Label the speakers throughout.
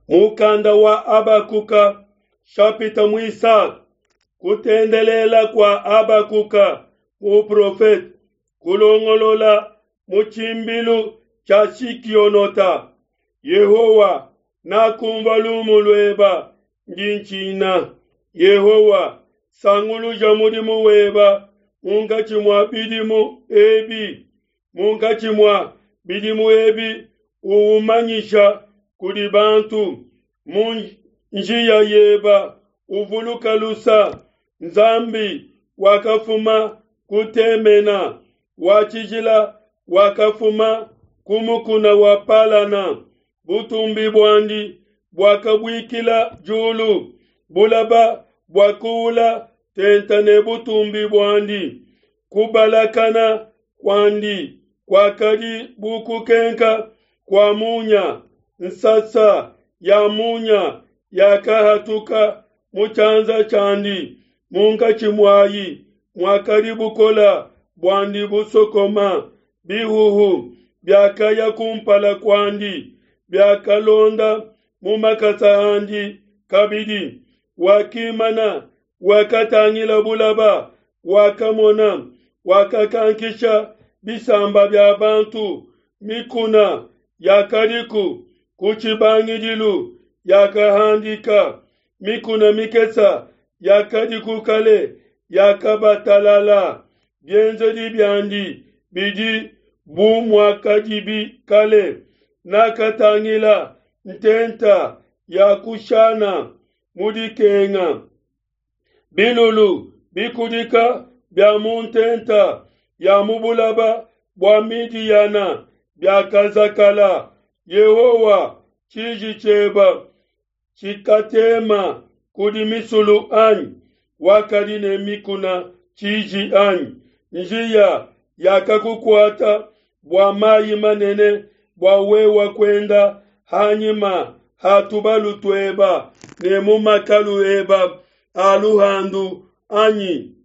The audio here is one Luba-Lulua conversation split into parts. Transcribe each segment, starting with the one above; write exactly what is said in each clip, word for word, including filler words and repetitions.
Speaker 1: Mukanda wa Habakuka shapita muisatu kutendelela kua Habakuka muprofete kulongolola mu tshimbilu tshia Shikionota. Yehowa, nakumvua lumu lueba, ndi ntshina. Yehowa, sanguluja mudimu weba munkatshi mua bidimu ebi, munkatshi mua bidimu ebi uumanyisha kudi bantu. Mu njiya yeba uvuluka lusa. Nzambi wakafuma ku Temena, wa tshijila wakafuma ku mukuna wa Palana. Butumbi buandi buakabuikila diulu, bulaba buakuula tenta ne butumbi buandi. Kubalakana kuandi kuakadi bu kukenka kua munya, nsasa ya munya yakahatuka mu tshianza tshiandi, munkatshi muai muakadi bukole buandi busokoma. Bihuhu biakaya ku mpala kuandi, biakalonda mu makasa andi kabidi. Wakimana, wakatangila bulaba, wakamona, wakakankisha bisamba bia bantu. Mikuna yakadiku ku tshibangidilu yakahandika, mikuna mikese yakadiku kale yakabatalala. Bienzedi biandi bidi bu muakadibi kale. Nakatangila ntenta ya Kushana mu dikenga, bilulu bikudika bia mu ntenta ya mu bulaba bua Midiyana biakazakala. Yehowa, tshiji tshieba tshikatema kudi misulu anyi? Wakadi ne mikuna tshiji anyi? Njiya yakakukuata bua mai manene, bua wewe kuenda hanyima ha tubalu tueba ne mu makalu eba a luhandu anyi?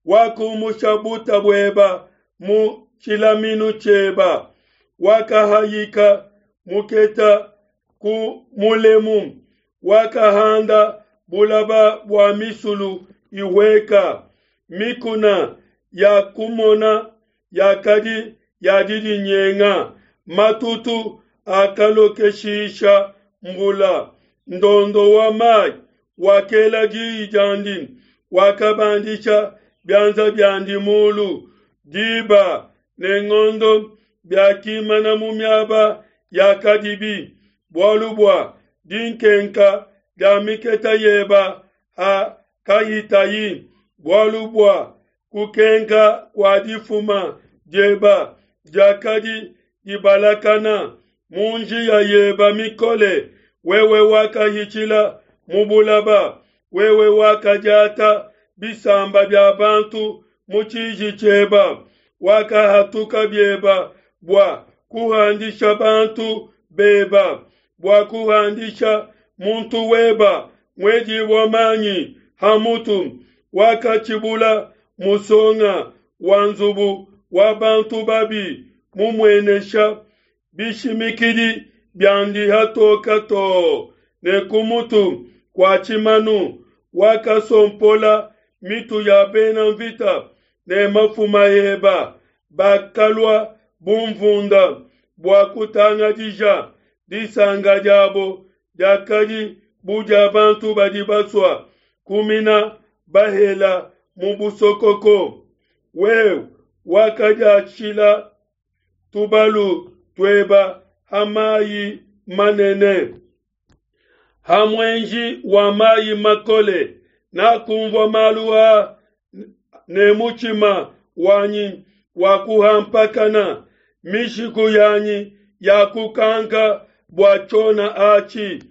Speaker 1: Wakumusha buta bueba mu tshilaminu tshieba, wakahayika muketa ku mulemu, wakahanda bulaba bua misulu ihueka. Mikuna ya kumona yakadi ya didinyenga, matutu akalokeshisha mvula. Ndondo wa mai wakela diyi diandi, wakabandisha bianza biandi mulu. Diba ne ngondo biakimana mu miaba yakadibi, bualu bua dinkenka dia miketa yeba hakahitayi, bualu bua kukenka kua difuma dieba diakadi dibalakana. Mu njiya yeba mikole wewe wakahitshila mu bulaba, wewe wakadiata bisamba bia bantu mu tshiji tshieba, wakahatuka bieba bua kuhandisha bantu beba, bua kuhandisha muntu weba muedibua manyi ha mutu. Wakatshibula musonga wa nzubu wa bantu babi, mumuenesha bishimikidi biandi hatoka too ne ku mutu kua tshimanu. Wakasompola mitu ya bena mvita ne mafuma eba, bakalua bu mvunda bua kutangadija. Disanka diabo diakadi bu dia bantu badi basua kumina bahela mu busokoko. Wewe wakadiatshila tubalu tueba ha mai manene, ha muenji wa mai makole. Nakunvua malu a ne mutshima wanyi wakuhampakana, mishiku yanyi yakukanka bua tshiona atshi,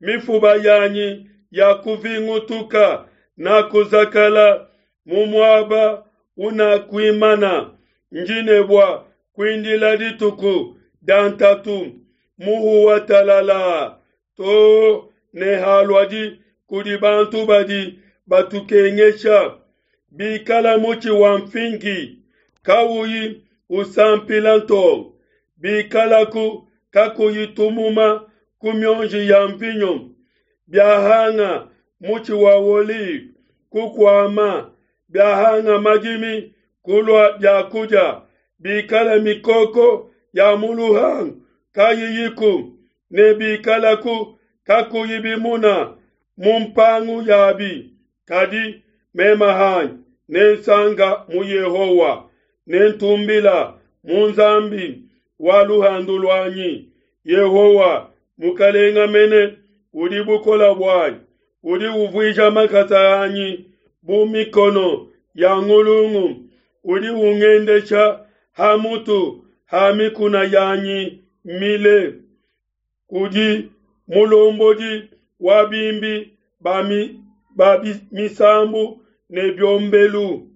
Speaker 1: mifuba yanyi yakuvingutuka. Nakuzakala mu muaba unakuimana, ndi ne bua kuindila dituku dia ntatu. Muhuwa talala too ne haluadi kudi bantu badi batukengesha. Bikala mutshi wa mfingi kauyi usampila ntonga, bikalaku kakuyi tumuma ku mionji ya mvinyo, biahanga mutshi wa olive kukuama, biahanga madimi kulua bia kudia, bikala mikoko ya mu luhangu kayiyiku, ne bikalaku kakuyi bimuna mu mpangu yabi. Kadi meme hanyi nensanka mu Yehowa, nentumbila mu Nzambi wa luhandu luanyi. Yehowa, Mukalenga mene, udi bukole buanyi, udi uvuija makasa anyi bu mikono ya ngulungu, udi ungendesha ha mutu ha mikuna yanyi mile. Kudi mulombodi wa bimbi ba, mi, ba misambu ne biombelu.